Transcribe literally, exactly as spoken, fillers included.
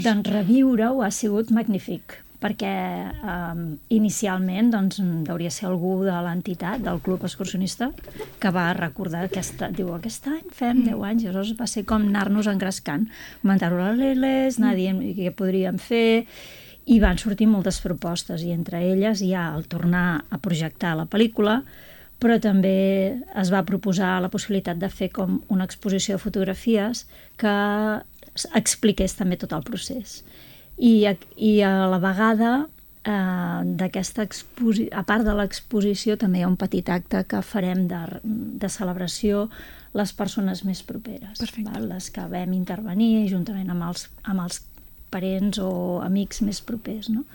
Doncs reviure-ho ha sigut magnífic, perquè eh, inicialment doncs, hauria ser algú de l'entitat, del club excursionista, que va recordar aquesta, diu, aquest any fem deu anys, i llavors va ser com anar-nos engrescant, comentar-ho a les Leles, anar dient què podríem fer, i van sortir moltes propostes, i entre elles hi ha el tornar a projectar la pel·lícula, però també es va proposar la possibilitat de fer com una exposició de fotografies que expliqués també tot el procés. I, i a la vegada, eh, d'aquesta exposició, a part de l'exposició, també hi ha un petit acte que farem de, de celebració les persones més properes, val? Les que vam intervenir juntament amb els, amb els parents o amics més propers, no?